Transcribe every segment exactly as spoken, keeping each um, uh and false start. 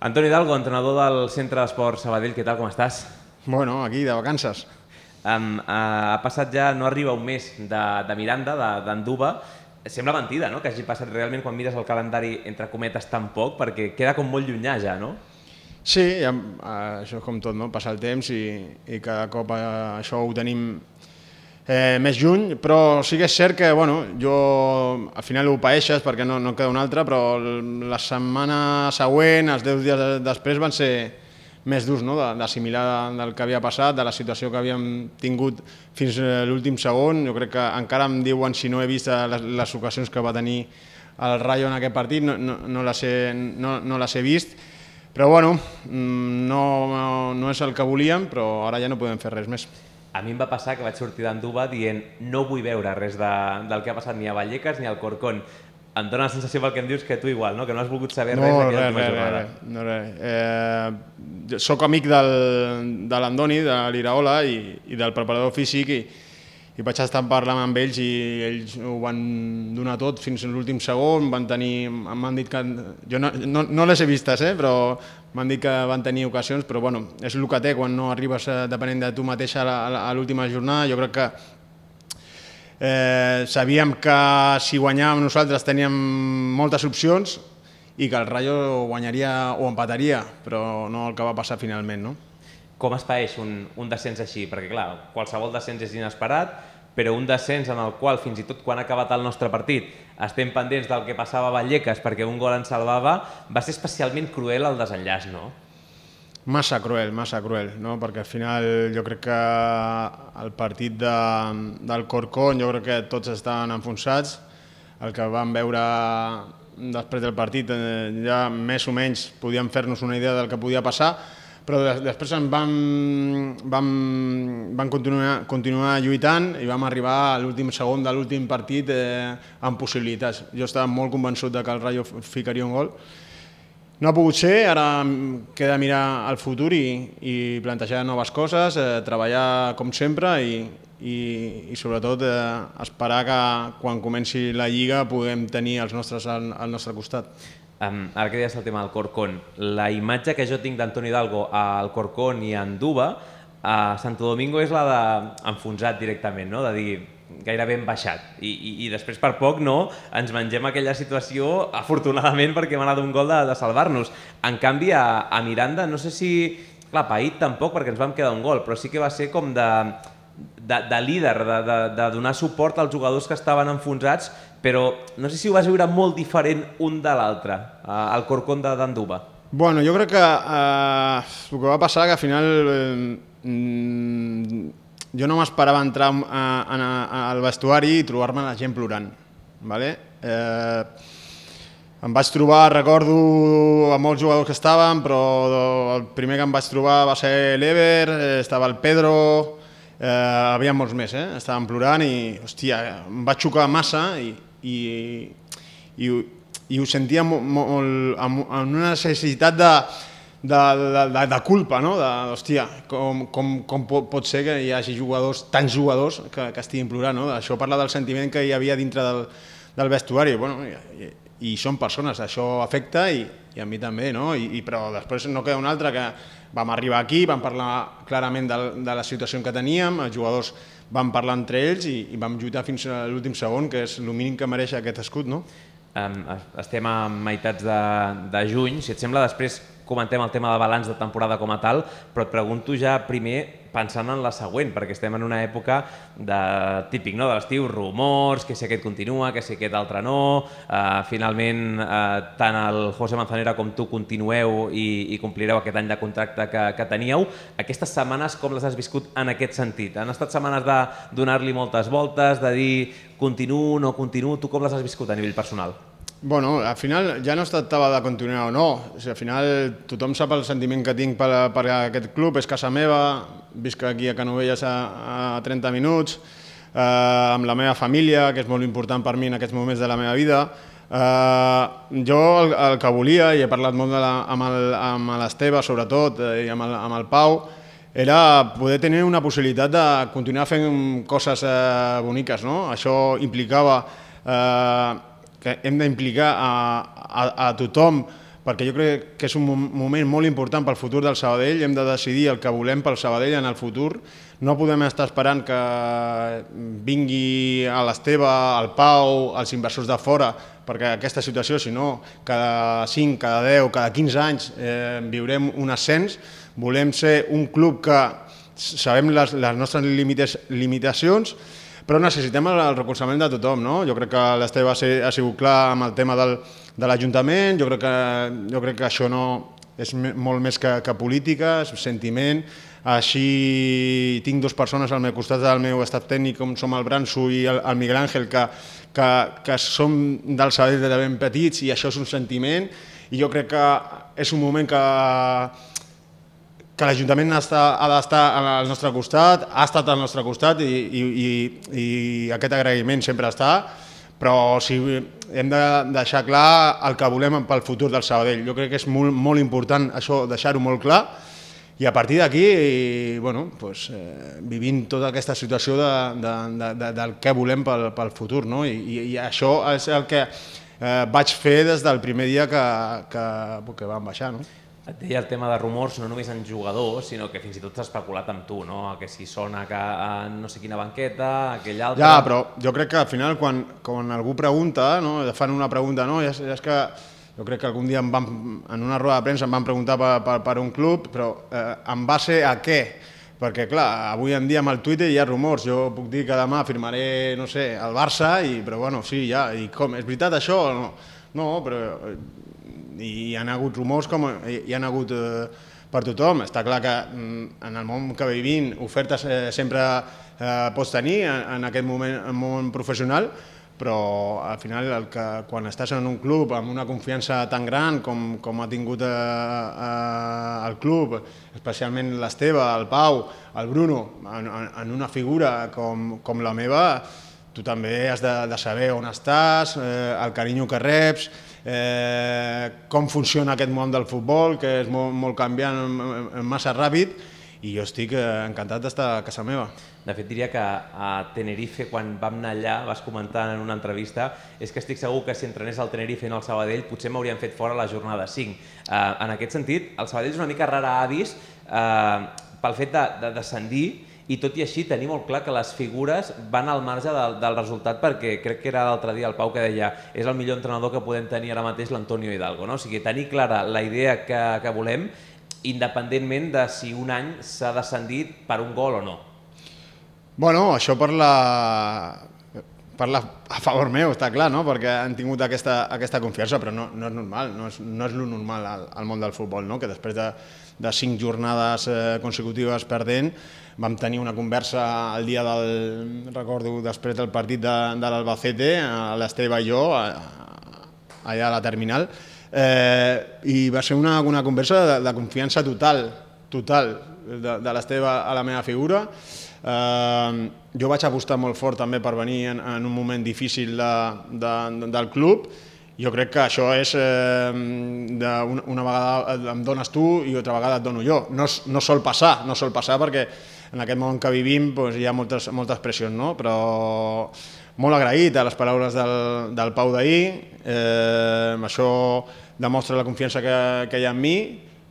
Antoni Hidalgo, entrenador del Centre d'Esport Sabadell, què tal, com estàs? Bueno, aquí, de vacances. Um, uh, ha passat ja, no arriba un mes de, de Miranda, d'Anduba. Sembla mentida, no?, que hagi passat realment, quan mires el calendari, entre cometes, tan poc, perquè queda com molt llunyà ja, no? Sí, ja, això és com tot, no? Passa el temps i, i cada cop això ho tenim eh, més lluny, però sí que és cert que, bueno, jo al final ho paeixes perquè no, no queda un altre, però la setmana següent, els deu dies després, van ser més durs, no?, d'assimilar del que havia passat, de la situació que havíem tingut fins a l'últim segon. Jo crec que encara em diuen si no he vist les, les ocasions que va tenir el Rayo en aquest partit, no, no, no, les, he, no, no les he vist, però bueno, no, no és el que volíem, però ara ja no podem fer res més. A mi em va passar que vaig sortir d'Anduba dient no vull veure res de, del que ha passat ni a Vallecas ni al Corcón. Em dóna la sensació pel que em dius que tu igual, no? Que no has volgut saber no, res d'aquella última jornada. No, res. Eh, soc amic del, de l'Andoni, de l'Iraola i, i del preparador físic i, i vaig estar parlant amb ells i ells ho van donar tot fins a l'últim segon. Van tenir, m'han dit que... Jo no, no, no les he vistes, eh, però m'han dit que van tenir ocasions, però bueno, és el que té quan no arribes depenent de tu mateixa a l'última jornada. Jo crec que Eh, sabíem que si guanyàvem nosaltres teníem moltes opcions i que el Rayo guanyaria o empataria, però no el que va passar finalment, no? Com es paeix un, un descens així? Perquè clar, qualsevol descens és inesperat, però un descens en el qual fins i tot quan ha acabat el nostre partit estem pendents del que passava a Vallecas perquè un gol ens salvava, va ser especialment cruel el desenllaç, no? Massa cruel, massa cruel, no? Perquè al final jo crec que el partit de, del Corcón, jo crec que tots estaven enfonsats. El que vam veure després del partit, eh, ja més o menys podíem fer-nos una idea del que podia passar, però després en vam, vam, vam continuar, continuar lluitant i vam arribar a l'últim segon de l'últim partit eh, amb possibilitats. Jo estava molt convençut de que el Rayo ficaria un gol. No ha pogut ser, ara queda mirar al futur i, i plantejar noves coses, eh, treballar com sempre i, i, i sobretot eh, esperar que quan comenci la Lliga puguem tenir els nostres al, al nostre costat. Um, ara que deies el tema del Corcón, la imatge que jo tinc d'Antoni Hidalgo al Corcón i a Anduba, a Santo Domingo és la d'enfonsat directament, no? De dir gairebé hem baixat I, i, i després per poc no ens mengem aquella situació afortunadament perquè hem anat un gol de, de salvar-nos. En canvi a, a Miranda no sé si, clar, paït tampoc perquè ens vam quedar un gol, però sí que va ser com de, de, de líder, de, de, de donar suport als jugadors que estaven enfonsats, però no sé si ho vas veure molt diferent un de l'altre, al Corcón d'Anduba. Bueno, jo crec que eh, el que va passar que al final eh, jo no m'esperava entrar a, a, a, al vestuari i trobar-me la gent plorant. Vale? Eh, em vaig trobar, recordo, a molts jugadors que estaven, però el primer que em vaig trobar va ser l'Ever, estava el Pedro, eh, havia molts més, eh? Estaven plorant i, hòstia, em vaig xocar massa i, i, i, i ho sentia molt, molt, amb una necessitat de... De, de, de culpa, no? De, hòstia, com, com, com pot ser que hi hagi jugadors, tants jugadors que, que estiguin plorant, no? Això parla del sentiment que hi havia dintre del, del vestuari. Bueno, i, i són persones, això afecta i, i a mi també, no? I, i, però després no queda un altre que vam arribar aquí, vam parlar clarament de, de la situació que teníem, els jugadors van parlar entre ells i, i vam lluitar fins a l'últim segon, que és el mínim que mereix aquest escut, no? Um, estem a meitats de, de juny, si et sembla després comentem el tema de balanç de temporada com a tal, però et pregunto ja primer pensant en la següent, perquè estem en una època de, típic, no?, de l'estiu, rumors, que si aquest continua, que si aquest altre no, uh, finalment uh, tant el José Manzanera com tu continueu i, i complireu aquest any de contracte que, que teníeu. Aquestes setmanes com les has viscut en aquest sentit? Han estat setmanes de donar-li moltes voltes, de dir continuo, no continuo, tu com les has viscut a nivell personal? Bueno, al final ja no es tractava de continuar o no. O sigui, al final tothom sap el sentiment que tinc per, per aquest club, és casa meva, visc aquí a Canovelles a, a trenta minuts, eh, amb la meva família, que és molt important per mi en aquests moments de la meva vida. Eh, jo el, el que volia, i he parlat molt de la, amb l'Esteve sobretot, eh, i amb el, amb el Pau, era poder tenir una possibilitat de continuar fent coses eh, boniques, no? Això implicava... Eh, que hem d'implicar a, a, a tothom perquè jo crec que és un moment molt important pel futur del Sabadell, hem de decidir el que volem pel Sabadell en el futur, no podem estar esperant que vingui a l'Esteve, al Pau, els inversors de fora, perquè aquesta situació, si no, cada cinc, cada deu, cada quinze anys eh, viurem un ascens, volem ser un club que sabem les, les nostres limites, limitacions, però necessitem el, el recolzament de tothom, no? Jo crec que l'Esteve ha, ha sigut clar amb el tema del, de l'Ajuntament, jo, crec que, jo crec que això no és molt més que, que política, és sentiment. Així tinc dues persones al meu costat del meu estat tècnic, com som el Branso i el, el Miguel Àngel, que, que, que som del Sabadell de ben petits i això és un sentiment i jo crec que és un moment que que l'Ajuntament ha d'estar al nostre costat, ha estat al nostre costat i, i, i, i aquest agraïment sempre està, però si hem de deixar clar el que volem pel futur del Sabadell. Jo crec que és molt, molt important això, deixar-ho molt clar, i a partir d'aquí, bueno, pues, eh, vivint tota aquesta situació de, de, de, de, del que volem pel, pel futur, no? I, i, i això és el que eh, vaig fer des del primer dia que, que, que vam baixar, no? Et deia el tema de rumors, no només en jugadors, sinó que fins i tot s'ha especulat amb tu, no? Que si sona que a no sé quina banqueta, aquell altre... Ja, però jo crec que al final quan, quan algú pregunta, no? Fan una pregunta, no? Ja, ja és que jo crec que algun dia em van, en una roda de premsa em van preguntar per, per, per un club, però eh, en base a què? Perquè, clar, avui en dia amb el Twitter hi ha rumors. Jo puc dir que demà firmaré, no sé, el Barça, i, però bueno, sí, ja, i com, és veritat això o no? No, però... i hi ha hagut rumors com hi ha hagut eh, per tothom. Està clar que en el món que vivim ofertes eh, sempre eh, pots tenir en, en aquest moment, en món professional, però al final el que, quan estàs en un club amb una confiança tan gran com, com ha tingut eh, eh, el club, especialment l'Esteve, el Pau, el Bruno, en, en una figura com, com la meva, tu també has de, de saber on estàs, eh, el carinyo que reps, eh, com funciona aquest món del futbol, que és molt, molt canviant, massa ràpid, i jo estic encantat d'estar a casa meva. De fet, diria que a Tenerife, quan vam anar allà, vas comentar en una entrevista, és que estic segur que si entrenés al Tenerife i no al Sabadell, potser m'haurien fet fora la jornada cinc. Eh, en aquest sentit, el Sabadell és una mica rara avis eh, pel fet de, de descendir, i tot i així tenir molt clar que les figures van al marge del, del resultat, perquè crec que era l'altre dia el Pau que deia és el millor entrenador que podem tenir ara mateix l'Antonio Hidalgo, no? O sigui, tenir clara la idea que, que volem, independentment de si un any s'ha descendit per un gol o no. Bueno, això parla, parla a favor meu, està clar, no? Perquè han tingut aquesta, aquesta confiança, però no, no és normal, no és, no és lo normal al, al món del futbol, no? Que després de, de cinc jornades eh, consecutives perdent, vam tenir una conversa el dia del, recordo, després del partit de, de l'Albacete, a l'Esteve i jo, a, allà a la terminal, eh, i va ser una, una conversa de, de confiança total, total, de, de l'Esteve a la meva figura. Eh, jo vaig apostar molt fort també per venir en, en un moment difícil de, de, de, del club. Jo crec que això és, eh, de una, una vegada em dones tu i altra vegada et dono jo. No, no sol passar, no sol passar perquè en aquest món que vivim doncs, hi ha moltes, moltes pressions, no? Però molt agraït a les paraules del, del Pau d'ahir, eh, això demostra la confiança que, que hi ha en mi,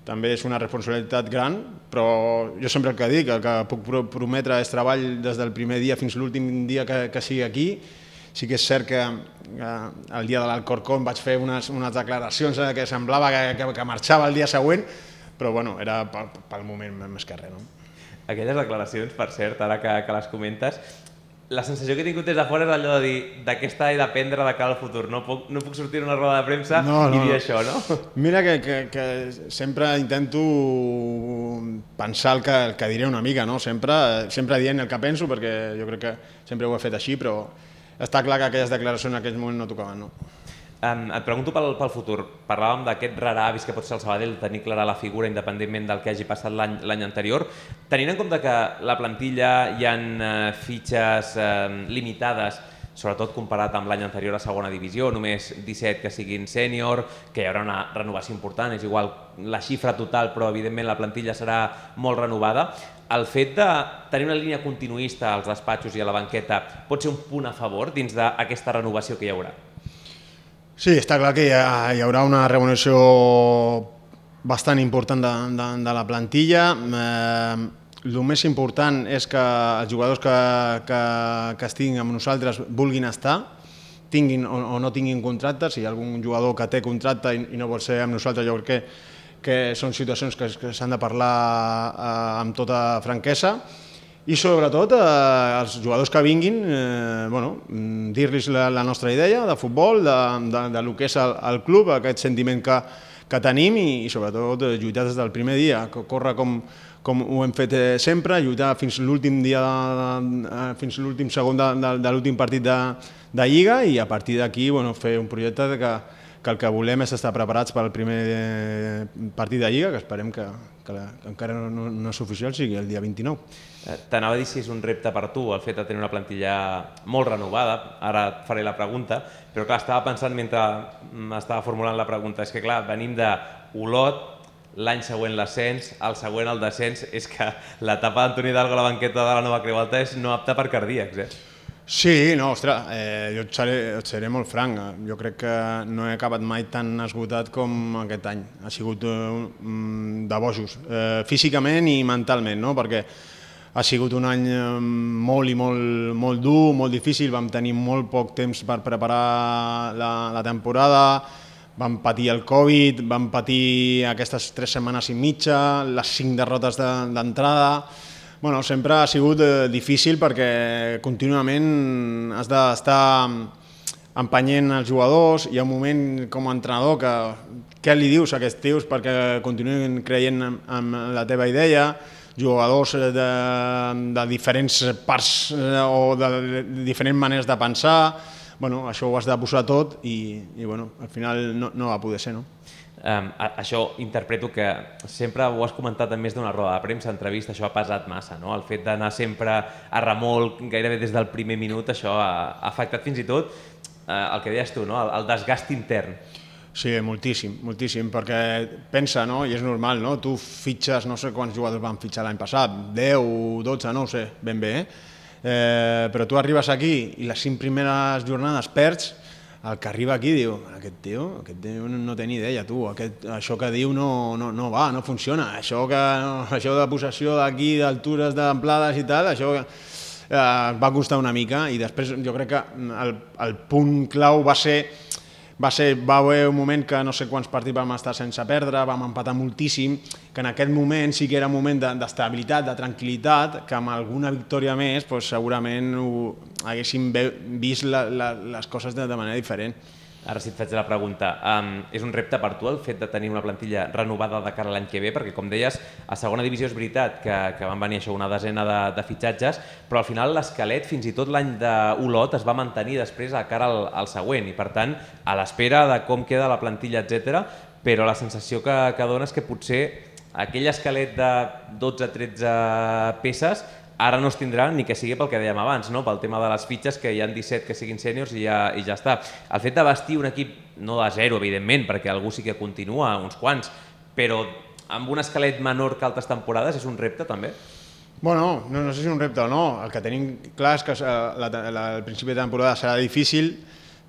també és una responsabilitat gran, però jo sempre el que dic, el que puc prometre és treball des del primer dia fins a l'últim dia que, que sigui aquí. Sí que és cert que eh, el dia de l'Alcorcón vaig fer unes, unes declaracions eh, que semblava que, que, que marxava el dia següent, però bueno, era pel, pel moment més que res, no? Aquelles declaracions, per cert, ara que, que les comentes, la sensació que he tingut des de fora és allò de dir d'aquesta he d'aprendre de cara al futur, no puc, no puc sortir a una roda de premsa no, no, i dir no. això, no? Mira que, que, que sempre intento pensar el que, el que diré una mica, no? Sempre, sempre dient el que penso, perquè jo crec que sempre ho he fet així, però està clar que aquelles declaracions en aquell moment no tocaven, no? Um, et pregunto pel, pel futur. Parlàvem d'aquest rara avis que pot ser el Sabadell, tenir clara la figura independentment del que hagi passat l'any anterior. Tenint en compte que la plantilla hi ha uh, fitxes uh, limitades, sobretot comparat amb l'any anterior a segona divisió, només disset que siguin sènior, que hi haurà una renovació important, és igual la xifra total, però evidentment la plantilla serà molt renovada. El fet de tenir una línia continuista als despatxos i a la banqueta pot ser un punt a favor dins d'aquesta renovació que hi haurà? Sí, està clar que hi, ha, hi haurà una revolució bastant important de, de, de la plantilla. Eh, el més important és que els jugadors que, que, que estiguin amb nosaltres vulguin estar, tinguin o, o no tinguin contracte. Si hi ha algun jugador que té contracte i, i no vol ser amb nosaltres, jo crec que, que són situacions que, que s'han de parlar eh, amb tota franquesa. I sobretot eh, els jugadors que vinguin, eh, bueno, dir-los la, la nostra idea de futbol, de, de, de lo que és el, el club, aquest sentiment que, que tenim i, i sobretot lluitar des del primer dia, córrer com, com ho hem fet sempre, lluitar fins l'últim dia, de, fins l'últim segon de, de, de l'últim partit de, de Lliga i a partir d'aquí bueno, fer un projecte que, que el que volem és estar preparats per al primer partit de Lliga, que esperem que, que, la, que encara no, no és oficial, sigui el dia vint-i-nou. T'anava a dir si és un repte per tu el fet de tenir una plantilla molt renovada, ara et faré la pregunta, però clar, estava pensant mentre m'estava formulant la pregunta, és que clar, venim d'Olot, l'any següent l'ascens, el següent el descens, és que l'etapa d'Antoni Hidalgo a la banqueta de la Nova Creu Alta és no apta per cardíacs, eh? Sí, no, ostres, eh, jo et seré, et seré molt franc, jo crec que no he acabat mai tan esgotat com aquest any, ha sigut eh, de bojos, eh, físicament i mentalment, no? Perquè ha sigut un any molt i molt, molt dur, molt difícil, vam tenir molt poc temps per preparar la, la temporada, vam patir el Covid, vam patir aquestes tres setmanes i mitja, les cinc derrotes d'entrada. Bueno, sempre ha sigut eh, difícil perquè contínuament has d'estar empenyent els jugadors, hi ha un moment com a entrenador que què li dius a aquests tios perquè continuïn creient en, en la teva idea, jugadors de, de diferents parts o de diferents maneres de pensar, bueno, això ho has de posar tot i, i bueno, al final no, no va poder ser, no? Um, això interpreto que sempre ho has comentat en més d'una roda de premsa, entrevista, això ha pesat massa, no? El fet d'anar sempre a remolc, gairebé des del primer minut, això ha, ha afectat fins i tot uh, el que deies tu, no? el, el desgast intern. Sí, moltíssim, moltíssim, perquè pensa, no? I és normal, no? Tu fitxes, no sé quants jugadors van fitxar l'any passat, deu, dotze, no ho sé, ben bé, eh? Eh, però tu arribes aquí i les cinc primeres jornades perds, el que arriba aquí diu, aquest tio, aquest tio no té ni idea, tu, aquest, això que diu no, no, no va, no funciona, això, que, això de possessió d'aquí, d'altures, d'amplades i tal, això eh, va costar una mica i després jo crec que el, el punt clau va ser Va, ser, va haver un moment que no sé quants partits vam estar sense perdre, vam empatar moltíssim, que en aquest moment sí que era un moment d'estabilitat, de tranquil·litat, que amb alguna victòria més doncs, segurament ho, haguéssim vist la, la, les coses de, de manera diferent. Ara sí et faig la pregunta. Um, és un repte per tu el fet de tenir una plantilla renovada de cara a l'any que ve? Perquè, com deies, a segona divisió és veritat que, que van venir això una desena de, de fitxatges, però al final l'esquelet, fins i tot l'any d'Olot, es va mantenir després a cara al, al següent i, per tant, a l'espera de com queda la plantilla, etcètera, però la sensació que, que dona és que potser aquell esquelet de dotze tretze peces ara no es tindrà ni que sigui pel que dèiem abans, no? Pel tema de les fitxes, que hi ha disset que siguin sèniors i, ja, i ja està. El fet de vestir un equip, no de zero, evidentment, perquè algú sí que continua, uns quants, però amb un esquelet menor que altres temporades és un repte també? Bueno, no, no sé si és un repte o no. El que tenim clar és que la, la, el principi de temporada serà difícil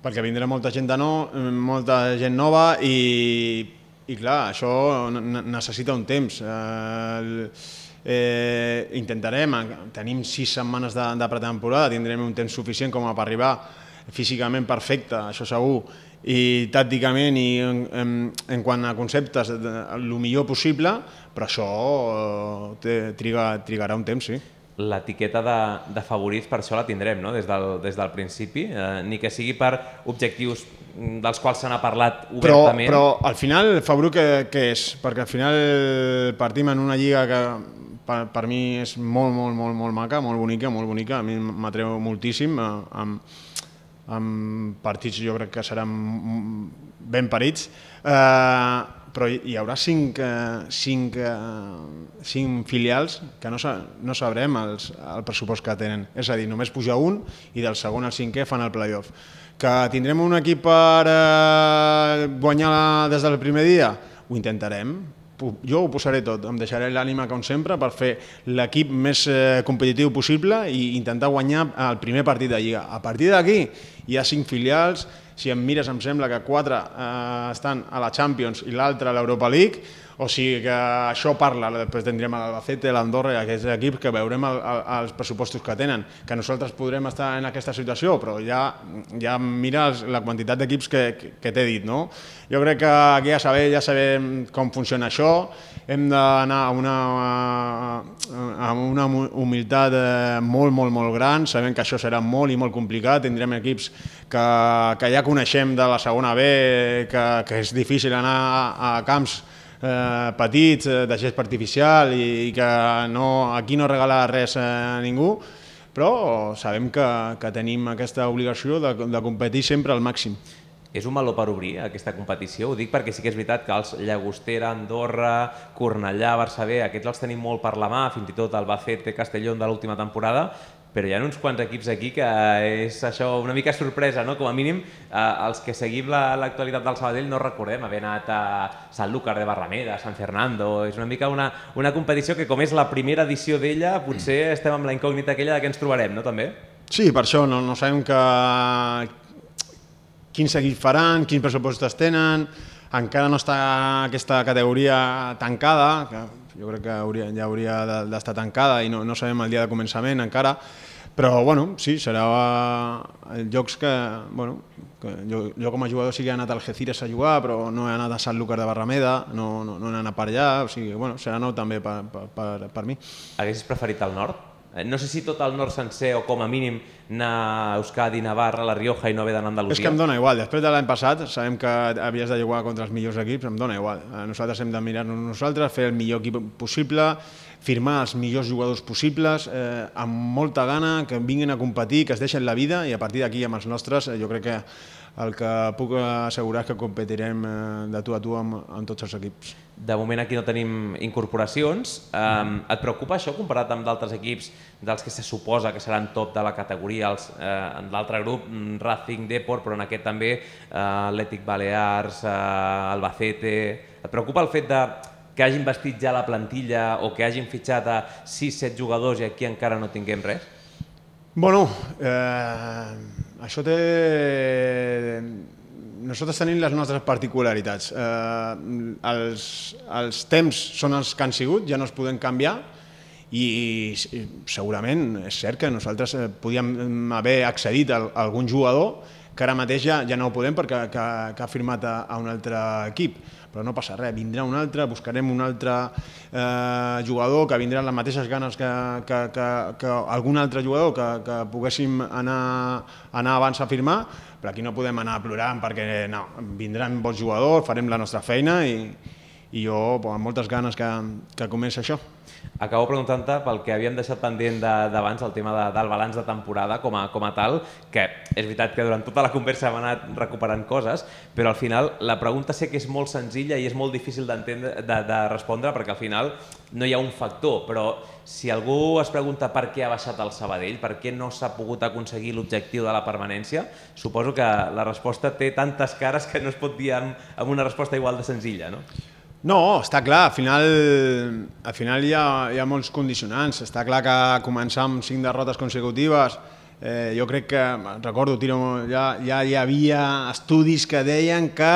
perquè vindrà molta gent de nou, molta gent nova i, i clar, això necessita un temps. El, Eh, intentarem, tenim sis setmanes de, de pretemporada, tindrem un temps suficient com a per arribar físicament perfecte, això segur, i tàcticament i en, en, en quant a conceptes el millor possible, però això eh, triga, trigarà un temps, sí. L'etiqueta de, de favorits per això la tindrem, no? Des del, des del principi, eh, ni que sigui per objectius dels quals se n'ha parlat obertament. Però, però al final, favorit què, què és? Perquè al final partim en una lliga que per, per mi és molt, molt, molt, molt maca, molt bonica, molt bonica, a mi m'atreu moltíssim, amb, amb partits jo crec que seran ben parits, eh, però hi haurà cinc, cinc, cinc filials que no, no sabrem els, el pressupost que tenen, és a dir, només puja un i del segon al cinquè fan el play-off. Que tindrem un equip per eh, guanyar des del primer dia? Ho intentarem. Jo ho posaré tot, em deixaré l'ànima com sempre per fer l'equip més eh, competitiu possible i intentar guanyar el primer partit de Lliga. A partir d'aquí hi ha cinc filials si em mires em sembla que quatre eh, estan a la Champions i l'altre a l'Europa League, o sigui que això parla, després tindrem l'Albacete, l'Andorra i aquests equips que veurem el, el, els pressupostos que tenen, que nosaltres podrem estar en aquesta situació, però ja, ja mira la quantitat d'equips que, que, que t'he dit, no? Jo crec que aquí ja sabem, ja sabem com funciona això, hem d'anar a una, a una humilitat molt, molt, molt gran, sabem que això serà molt i molt complicat, tindrem equips que, que ja coneixem de la segona B, que, que és difícil anar a, a camps Eh, petits, eh, de gest artificial i, i que no, aquí no regala res a ningú, però sabem que, que tenim aquesta obligació de, de competir sempre al màxim. És un meló per obrir aquesta competició? Ho dic perquè sí que és veritat que els Llagostera, Andorra, Cornellà, Barça B, aquests els tenim molt per la mà, fins i tot Albacete, Castellón de l'última temporada, però hi ha uns quants equips aquí que és això una mica sorpresa, no? Com a mínim, eh, els que seguim l'actualitat del Sabadell no recordem haver anat a Sanlúcar de Barrameda, a San Fernando, és una mica una, una competició que com és la primera edició d'ella, potser estem amb la incògnita aquella de què ens trobarem, no també? Sí, per això no, no sabem que quins equips faran, quins pressupostos tenen, encara no està aquesta categoria tancada, que jo crec que hauria, ja hauria d'estar tancada i no, no sabem el dia de començament encara, però bueno, sí, serà llocs que, bueno, que jo, jo com a jugador sí que he anat a Algeciras a jugar, però no he anat a Sanlúcar de Barrameda, no, no, no he anat per allà, o sigui, bueno, serà nou també per, per, per, per mi. Haguessis preferit el nord? No sé si tot el nord sencer o com a mínim anar a Euskadi, Navarra, La Rioja i no haver d'anar a Andalusia. És que em dóna igual, després de l'any passat sabem que havies de jugar contra els millors equips, em dóna igual. Nosaltres hem de mirar-nos nosaltres, fer el millor equip possible, firmar els millors jugadors possibles, eh, amb molta gana, que vinguin a competir, que es deixen la vida i a partir d'aquí amb els nostres eh, jo crec que el que puc assegurar és que competirem de tu a tu amb, amb tots els equips. De moment aquí no tenim incorporacions. Um, et preocupa això comparat amb d'altres equips dels que se suposa que seran top de la categoria, els, eh, en l'altre grup, Racing, Depor, però en aquest també eh, Atlètic Balears, eh, Albacete... Et preocupa el fet de que hagin vestit ja la plantilla o que hagin fitxat a sis set jugadors i aquí encara no tinguem res? Bueno, eh, això té... Nosaltres tenim les nostres particularitats. Eh, els, els temps són els que han sigut, ja no es poden canviar i segurament és cert que nosaltres podíem haver accedit a algun jugador que ara mateix ja, ja no ho podem perquè que, que ha firmat a, a un altre equip. Però no passa res, vindrà un altre, buscarem un altre eh, jugador que vindrà amb les mateixes ganes que, que, que, que algun altre jugador que, que poguéssim anar, anar abans a firmar, però aquí no podem anar plorant perquè no, vindran bons jugadors, farem la nostra feina i, i jo amb moltes ganes que, que comenci això. Acabo preguntant-te pel que havíem deixat pendent d'abans, el tema de, del balanç de temporada com a, com a tal, que és veritat que durant tota la conversa hem anat recuperant coses, però al final la pregunta sé que és molt senzilla i és molt difícil d'entendre, de, de respondre perquè al final no hi ha un factor, però si algú es pregunta per què ha baixat el Sabadell, per què no s'ha pogut aconseguir l'objectiu de la permanència, suposo que la resposta té tantes cares que no es pot dir amb, amb una resposta igual de senzilla, no? No, està clar, al final, al final hi, ha, hi ha molts condicionants. Està clar que començar amb cinc derrotes consecutives, eh, jo crec que, recordo, tiro, ja, ja hi havia estudis que deien que,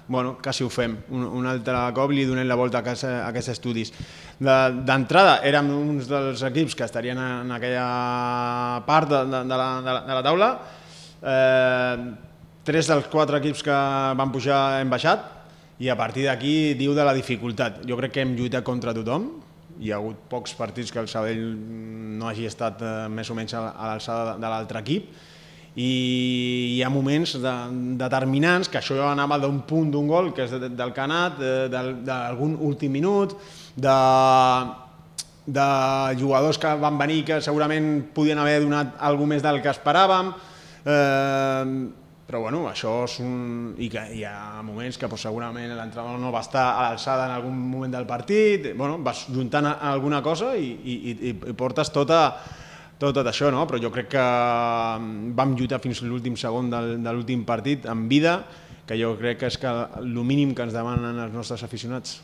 bueno, quasi ho fem, un, un altre cop li donem la volta a, casa, a aquests estudis. D'entrada érem uns dels equips que estarien en aquella part de, de, de, la, de, la, de la taula, eh, tres dels quatre equips que van pujar hem baixat, i a partir d'aquí diu de la dificultat. Jo crec que hem lluitat contra tothom, hi ha hagut pocs partits que el Sabadell no hagi estat eh, més o menys a l'alçada de l'altre equip i hi ha moments de, determinants, que això anava d'un punt d'un gol, que és de, del Canat, d'algun últim minut, de, de jugadors que van venir que segurament podien haver donat alguna més del que esperàvem, eh, però bueno, això és un... i que hi ha moments que pues, segurament l'entrenador no va estar a l'alçada en algun moment del partit, bueno, vas juntant alguna cosa i, i, i portes tota, tot, tot això, no? Però jo crec que vam lluitar fins a l'últim segon del, de l'últim partit amb vida, que jo crec que és que el mínim que ens demanen els nostres aficionats.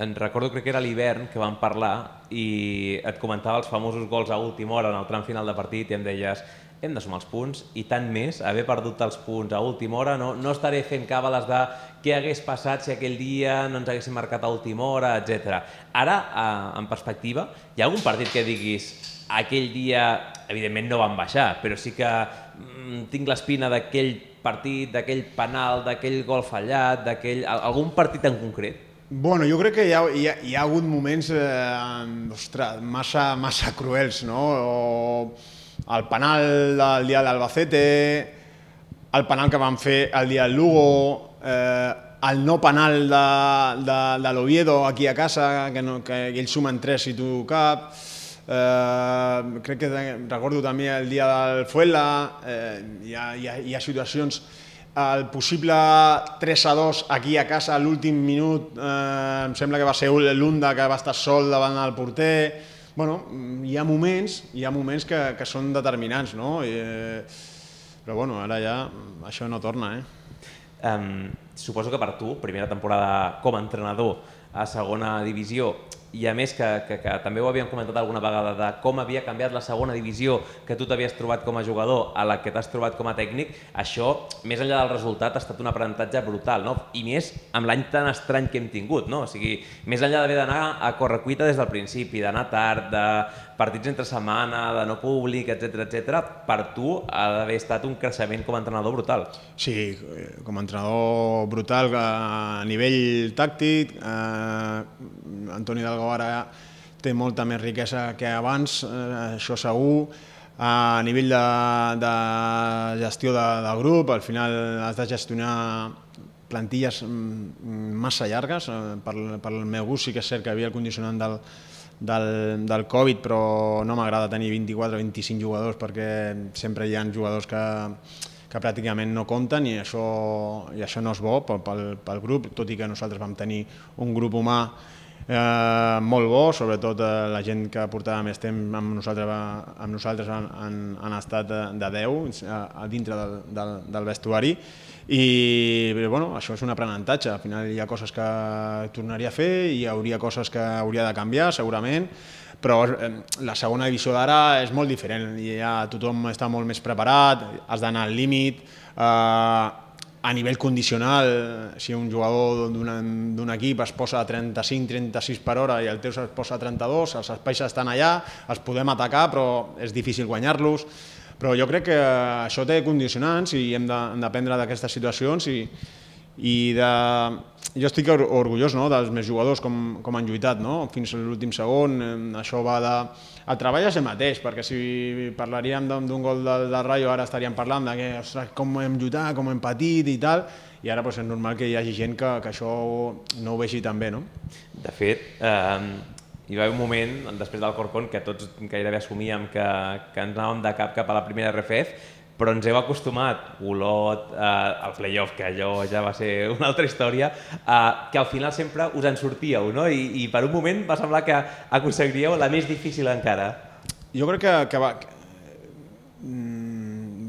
en recordo, crec que era l'hivern, que vam parlar i et comentava els famosos gols a última hora en el tram final de partit i em deies hem de sumar els punts i tant més, haver perdut els punts a última hora, no, no estaré fent càbales de què hagués passat si aquell dia no ens haguéssim marcat a última hora, etcètera. Ara, en perspectiva, hi ha algun partit que diguis aquell dia, evidentment no van baixar, però sí que mm, tinc l'espina d'aquell partit, d'aquell penal, d'aquell gol fallat, d'aquell... algun partit en concret? Bueno, jo crec que hi ha, hi ha, hi ha hagut moments eh, ostres, massa, massa cruels, no? O el penal del dia de l'Albacete, el penal que van fer el dia del Lugo, eh, el no penal de, de, de l'Oviedo aquí a casa, que, no, que ells sumen tres i tu cap. Eh, crec que recordo també el dia del Fuenla, eh, hi, ha, hi, ha, hi ha situacions, el possible tres a dos aquí a casa a l'últim minut, eh, em sembla que va ser l'Unda que va estar sol davant del porter. Bueno, hi ha moments, hi ha moments que, que són determinants, no? I, eh, però bueno, ara ja això no torna, eh? Um, suposo que per tu, primera temporada com a entrenador a segona divisió, i a més que, que, que també ho havíem comentat alguna vegada de com havia canviat la segona divisió que tu t'havies trobat com a jugador a la que t'has trobat com a tècnic, això, més enllà del resultat, ha estat un aprenentatge brutal, no? I més amb l'any tan estrany que hem tingut, no? O sigui, més enllà d'haver d'anar a correcuita des del principi, d'anar tard, de partits entre setmana, de no públic, etcètera, etcètera, per tu ha d'haver estat un creixement com a entrenador brutal. Sí, com a entrenador brutal a nivell tàctic, eh, Antoni Hidalgo ara té molta més riquesa que abans, eh, això segur. A nivell de, de gestió de, del grup, al final has de gestionar plantilles massa llargues. Per, per el meu gust sí que és cert que havia el condicionant del, del, del Covid, però no m'agrada tenir vint-i-quatre o vint-i-cinc jugadors perquè sempre hi ha jugadors que, que pràcticament no compten i això, i això no és bo pel, pel, pel grup, tot i que nosaltres vam tenir un grup humà Eh, molt bo, sobretot eh, la gent que portava més temps amb nosaltres, amb nosaltres han, han, han estat de, de deu a, a dintre del, del, del vestuari i bueno, això és un aprenentatge. Al final hi ha coses que tornaria a fer, hi hauria coses que hauria de canviar segurament, però eh, la segona divisió d'ara és molt diferent, ja tothom està molt més preparat, has d'anar al límit, eh, a nivell condicional, si un jugador d'un equip es posa a trenta-cinc trenta-sis per hora i el teu es posa a trenta-dos, els espais estan allà, els podem atacar, però és difícil guanyar-los. Però jo crec que això té condicionants i hem d'aprendre d'aquestes situacions i, i de... jo estic orgullós, no?, dels meus jugadors com, com han lluitat, no?, fins a l'últim segon. Això va de... El treball és el mateix, perquè si parlaríem d'un gol del, del Rayo ara estaríem parlant de que, ostres, com hem lluitat, com hem patit i tal, i ara pues, és normal que hi hagi gent que, que això no ho vegi tan bé, no? De fet, eh, hi va haver un moment, després del Corcón, que tots gairebé assumíem que, que ens anàvem de cap cap a la primera R F F, però ens heu acostumat, Olot, eh, al playoff, que allò ja va ser una altra història, eh, que al final sempre us en sortíeu, no? I, i per un moment va semblar que aconseguiríeu la més difícil encara. Jo crec que, que va,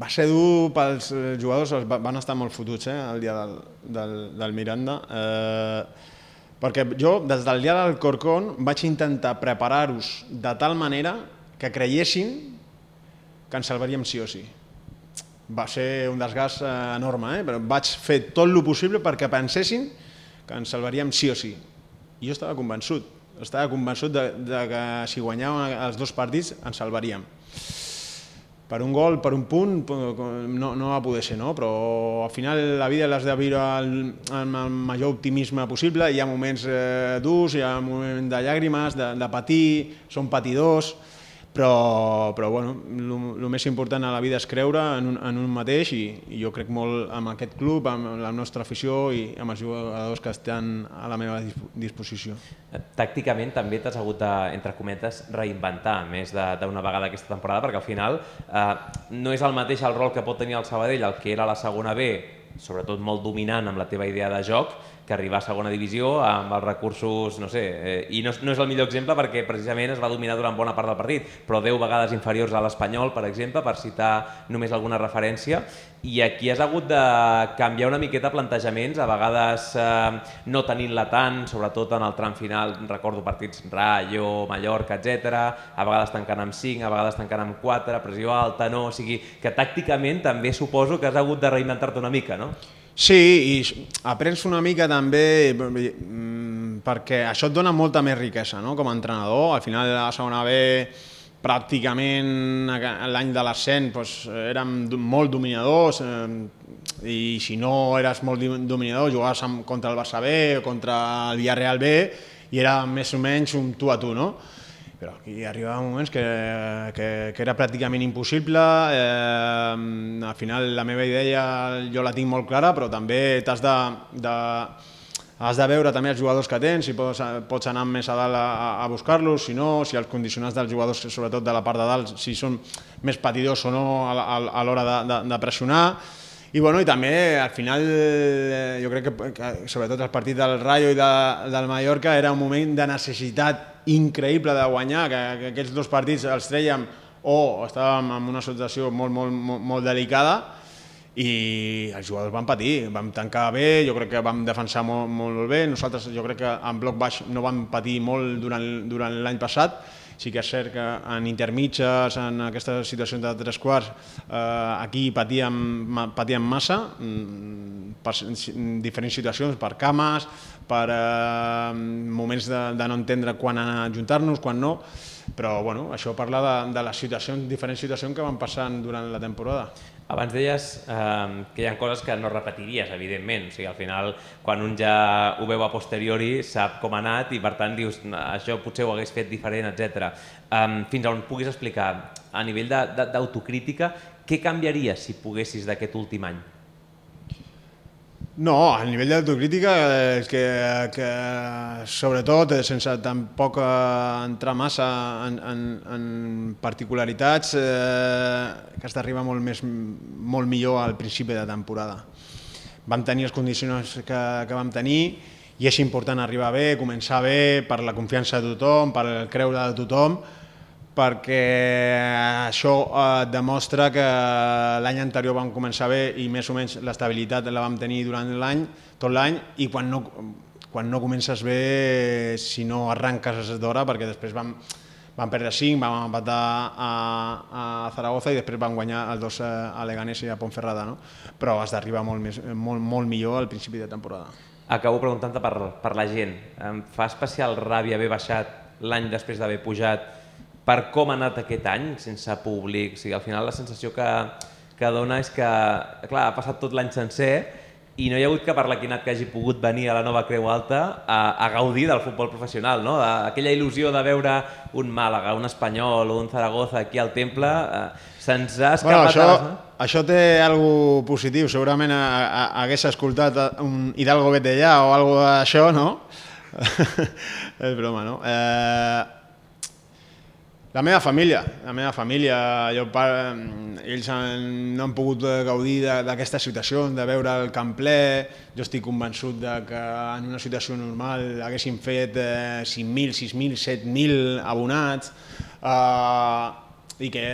va ser dur pels jugadors, van estar molt fotuts eh, el dia del, del, del Miranda, eh, perquè jo des del dia del Corcón vaig intentar preparar-vos de tal manera que creiessin que ens salvaríem sí o sí. Va ser un desgast enorme, eh? Però vaig fer tot el possible perquè pensessin que ens salvaríem sí o sí. I jo estava convençut, estava convençut de, de que si guanyàvem els dos partits ens salvaríem. Per un gol, per un punt, no, no va poder ser, no? Però al final la vida l'has de viure amb el major optimisme possible. Hi ha moments eh, durs, hi ha moments de llàgrimes, de, de patir, són patidors, però, però bueno, el més important a la vida és creure en un, en un mateix i, i jo crec molt en aquest club, amb la nostra afició i amb els jugadors que estan a la meva disposició. Tàcticament també t'has hagut de, entre cometes, reinventar més d'una vegada aquesta temporada, perquè al final eh, no és el mateix el rol que pot tenir el Sabadell, el que era la segona B, sobretot molt dominant amb la teva idea de joc, que arribar a segona divisió amb els recursos, no sé, eh, i no, no és el millor exemple perquè precisament es va dominar durant bona part del partit, però deu vegades inferiors a l'Espanyol, per exemple, per citar només alguna referència, i aquí has hagut de canviar una miqueta plantejaments, a vegades eh, no tenint-la tant, sobretot en el tram final, recordo partits Rayo, Mallorca, etcètera, a vegades tancant amb cinc, a vegades tancant amb quatre, pressió alta, no, o sigui que tàcticament també suposo que has hagut de reinventar-te una mica, no? Sí, i aprens una mica també perquè això et dona molta més riquesa, no? Com a entrenador. Al final de la segona B, pràcticament l'any de l'ascens doncs, érem molt dominadors i si no eres molt dominador jugaves contra el Barça B o contra el Villarreal B i era més o menys un tu a tu, no? Però aquí arribaven moments que, que, que era pràcticament impossible, eh, al final la meva idea jo la tinc molt clara, però també t'has de, de, has de veure també els jugadors que tens, si pots, pots anar més a dalt a, a buscar-los, si no, si els condicionats dels jugadors, sobretot de la part de dalt, si són més patidors o no a, a, a l'hora de, de, de pressionar. I, bueno, i també, al final, jo crec que, que sobretot el partit del Rayo i de, del Mallorca era un moment de necessitat increïble de guanyar, que, que aquests dos partits els trèiem o estàvem en una situació molt, molt, molt, molt delicada i els jugadors van patir, vam tancar bé, jo crec que vam defensar molt, molt bé, nosaltres jo crec que en bloc baix no vam patir molt durant, durant l'any passat. Sí que és cert que en intermitges, en aquestes situacions de tres quarts, eh, aquí patíem, patíem massa, per diferents situacions, per cames, per eh, moments de, de no entendre quan anar a ajuntar-nos, quan no, però bueno, això parla de, de les situacions, diferents situacions que van passant durant la temporada. Abans deies eh, que hi ha coses que no repetiries, evidentment. O sigui, al final, quan un ja ho veu a posteriori, sap com ha anat i, per tant, dius, això potser ho hagués fet diferent, etcètera. Um, fins on puguis explicar, a nivell d'autocrítica, què canviaries si poguessis d'aquest últim any? No, a nivell d'autocrítica és que, que sobretot, sense tampoc entrar massa en, en, en particularitats, eh, que has d'arribar molt, més, molt millor al principi de temporada. Vam tenir els condicionants que, que vam tenir i és important arribar bé, començar bé, per la confiança de tothom, per el creure de tothom, perquè això eh, demostra que l'any anterior vam començar bé i més o menys l'estabilitat la vam tenir durant l'any, tot l'any, i quan no, quan no comences bé, si no arranques d'hora, perquè després vam, vam perdre cinc, vam empatar a, a Zaragoza i després vam guanyar els dos a Leganés i a Ponferrada, no? Però has d'arribar molt, més, molt, molt millor al principi de temporada. Acabo preguntant-te per, per la gent. Em fa especial ràbia haver baixat l'any després d'haver pujat per com ha anat aquest any, sense públic. O sigui, al final la sensació que, que dona és que, clar, ha passat tot l'any sencer i no hi ha hagut cap arlequinat que hagi pogut venir a la nova Creu Alta a, a gaudir del futbol professional, no? Aquella il·lusió de veure un Màlaga, un Espanyol o un Zaragoza aquí al Temple, eh, se'ns ha escapat... Bueno, això, a les... això té alguna positiu, segurament a, a, hagués escoltat un Hidalgo Betellà o alguna d'això, no? És broma, no? Eh... La meva família, la meva família, jo, ells no han pogut gaudir d'aquesta situació, de veure el camp ple. Jo estic convençut de que en una situació normal haguessin fet cinc mil, sis mil, set mil abonats i que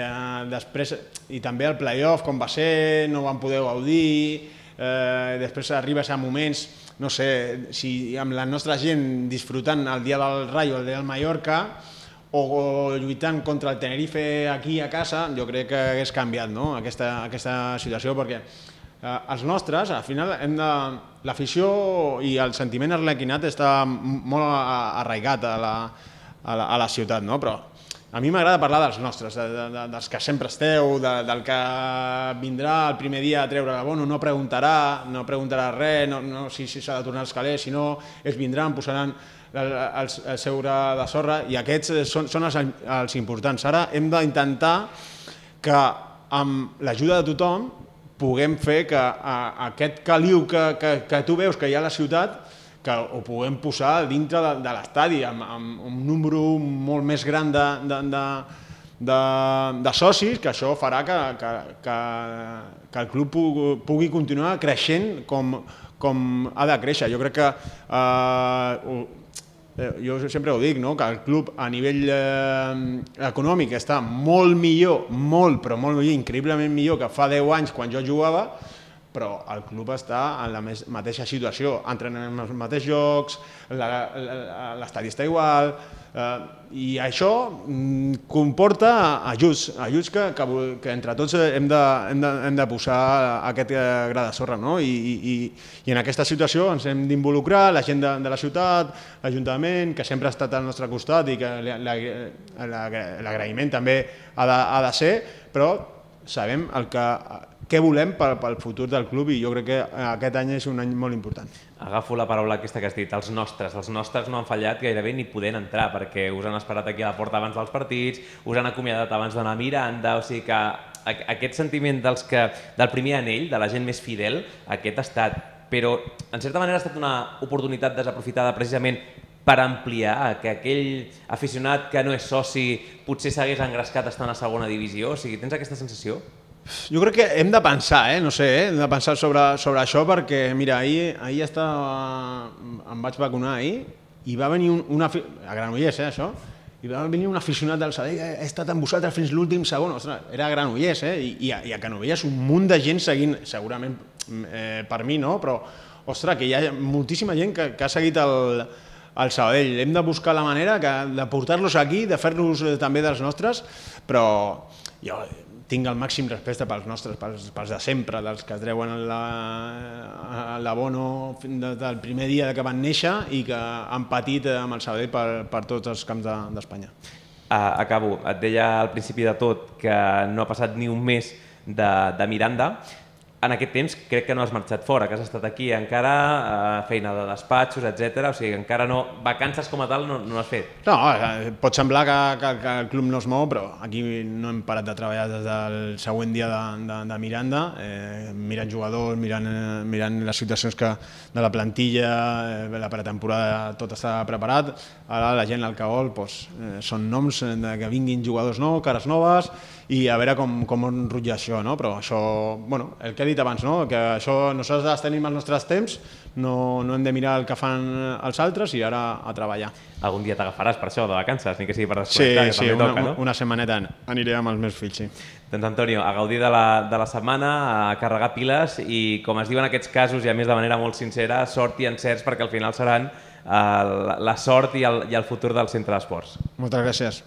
després, i també el play-off com va ser, no van poder gaudir, després arribes a moments, no sé, si amb la nostra gent disfrutant el dia del Rayo, el dia del Mallorca, o lluitant contra el Tenerife aquí a casa, jo crec que hagués canviat, no? aquesta, aquesta situació, perquè eh, els nostres, al final, hem de... l'afició i el sentiment arlequinat està molt arraigat a la, a la, a la ciutat, no? Però a mi m'agrada parlar dels nostres, de, de, dels que sempre esteu, de, del que vindrà el primer dia a treure la bono, no preguntarà, no preguntarà res, no, no si s'ha de tornar als calés, si no, ells vindran, posaran el, el, el seure de sorra, i aquests són, són els, els importants. Ara hem d'intentar que amb l'ajuda de tothom puguem fer que a, aquest caliu que, que, que tu veus que hi ha a la ciutat, que ho puguem posar dintre de, de l'estadi amb, amb un número molt més gran de, de, de, de, de socis, que això farà que, que, que, que el club pugui, pugui continuar creixent com, com ha de créixer. Jo crec que, eh, jo sempre ho dic, no? Que el club a nivell eh, econòmic està molt millor, molt, però molt millor, increïblement millor que fa deu anys quan jo jugava, però el club està en la mateixa situació, entrenem en els mateixos jocs, l'estadi està igual, eh, i això comporta ajuts, ajuts que, que, que entre tots hem de, hem de, hem de posar aquest gra de sorra, no? I, i, i en aquesta situació ens hem d'involucrar, la gent de, de la ciutat, l'Ajuntament, que sempre ha estat al nostre costat i que l'agraïment també ha de, ha de ser, però sabem el que què volem pel futur del club i jo crec que aquest any és un any molt important. Agafo la paraula aquesta que has dit, els nostres. Els nostres no han fallat gairebé ni podent entrar perquè us han esperat aquí a la porta abans dels partits, us han acomiadat abans d'anar a Miranda, o sigui que aquest sentiment dels que, del primer anell, de la gent més fidel, aquest ha estat, però en certa manera ha estat una oportunitat desaprofitada precisament per ampliar, que aquell aficionat que no és soci potser s'hagués engrescat estant a segona divisió, o sigui, tens aquesta sensació? Jo crec que hem de pensar, eh? no sé, eh? hem de pensar sobre, sobre això perquè, mira, ahir, ahir estava, em vaig vacunar ahir i va venir un, una, a Granollers, eh, això, i va venir un aficionat del Sabadell, he estat amb vosaltres fins l'últim segon, ostres, era a Granollers, eh? I, i, a, i a Canovelles un munt de gent seguint, segurament eh, per mi, no? Però, ostres, que hi ha moltíssima gent que, que ha seguit el, el Sabadell. Hem de buscar la manera que, de portar-los aquí, de fer-los també dels nostres, però jo tinc el màxim respecte pels nostres, pels, pels de sempre, dels que es treuen l'abono del primer dia que van néixer i que han patit amb el Sabadell per, per tots els camps d'Espanya. Uh, acabo. Et deia al principi de tot que no ha passat ni un mes de, de Miranda. En aquest temps crec que no has marxat fora, que has estat aquí encara, eh, feina de despatxos, etcètera. O sigui, encara no, vacances com a tal no, no has fet. No, pot semblar que, que, que el club no es mou, però aquí no hem parat de treballar des del següent dia de, de, de Miranda, eh, mirant jugadors, mirant, eh, mirant les situacions que, de la plantilla, eh, la pretemporada, tot està preparat. Ara la gent al Caol doncs, eh, són noms de que vinguin jugadors nous, cares noves, i a veure com, com enrotllar això, no? Però això, bueno, el que he dit abans, no? Que això nosaltres tenim els nostres temps, no, no hem de mirar el que fan els altres i ara a treballar. Algun dia t'agafaràs per això, de vacances, ni que sigui per desconnectar, sí, que sí, també una, toca, no? una setmaneta aniré amb els meus fills, sí. Doncs Antonio, a gaudir de la, de la setmana, a carregar piles i, com es diu en aquests casos, i a més de manera molt sincera, sort i encerts perquè al final seran eh, la sort i el, i el futur del centre d'esports. Moltes gràcies.